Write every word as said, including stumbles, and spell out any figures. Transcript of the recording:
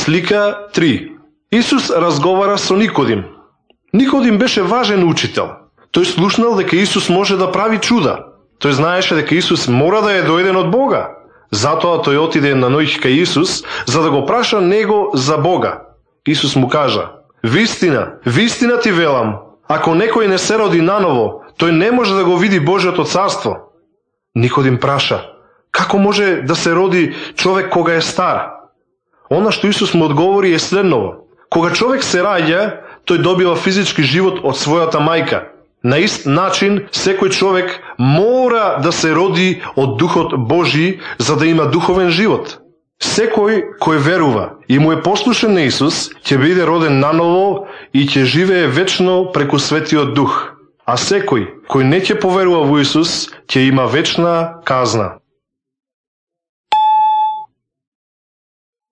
Слика три. Исус разговара со Никодим. Никодим беше важен учител. Тој слушнал дека Исус може да прави чуда. Тој знаеше дека Исус мора да е дојден од Бога. Затоа тој отиде на ноќ кај Исус, за да го праша него за Бога. Исус му кажа: "Вистина, вистина ти велам, ако некој не се роди наново, тој не може да го види Божјото царство." Никодим праша: "Како може да се роди човек кога е стар?" Она што Исус му одговори е следново: "Кога човек се раѓа, тој добива физички живот од својата мајка. На ист начин, секој човек мора да се роди од Духот Божи, за да има духовен живот. Секој кој верува и му е послушен на Исус, ќе биде роден наново и ќе живее вечно преку Светиот Дух. А секој кој не ќе поверува во Исус, ќе има вечна казна."